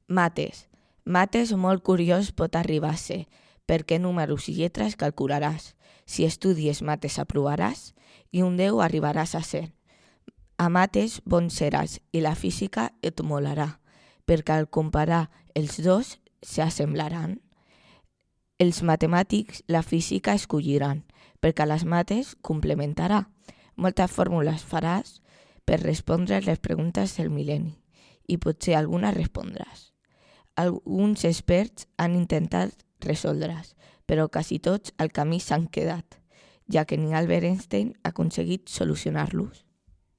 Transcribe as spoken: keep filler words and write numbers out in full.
Mates. Mates molt curiós pot arribar a ser, perquè números i lletres calcularàs. Si estudies mates aprovaràs i un deu arribaràs a ser. A mates bon seràs i la física et molarà, perquè al comparar els dos s'assemblaran. Els matemàtics la física escolliran, perquè les mates complementarà. Moltes fórmules faràs per respondre les preguntes del mil·lenni i potser alguna respondràs. Alguns experts han intentat resoldre's, però quasi tots al camí s'han quedat, ja que ni Albert Einstein ha aconseguit solucionar-los.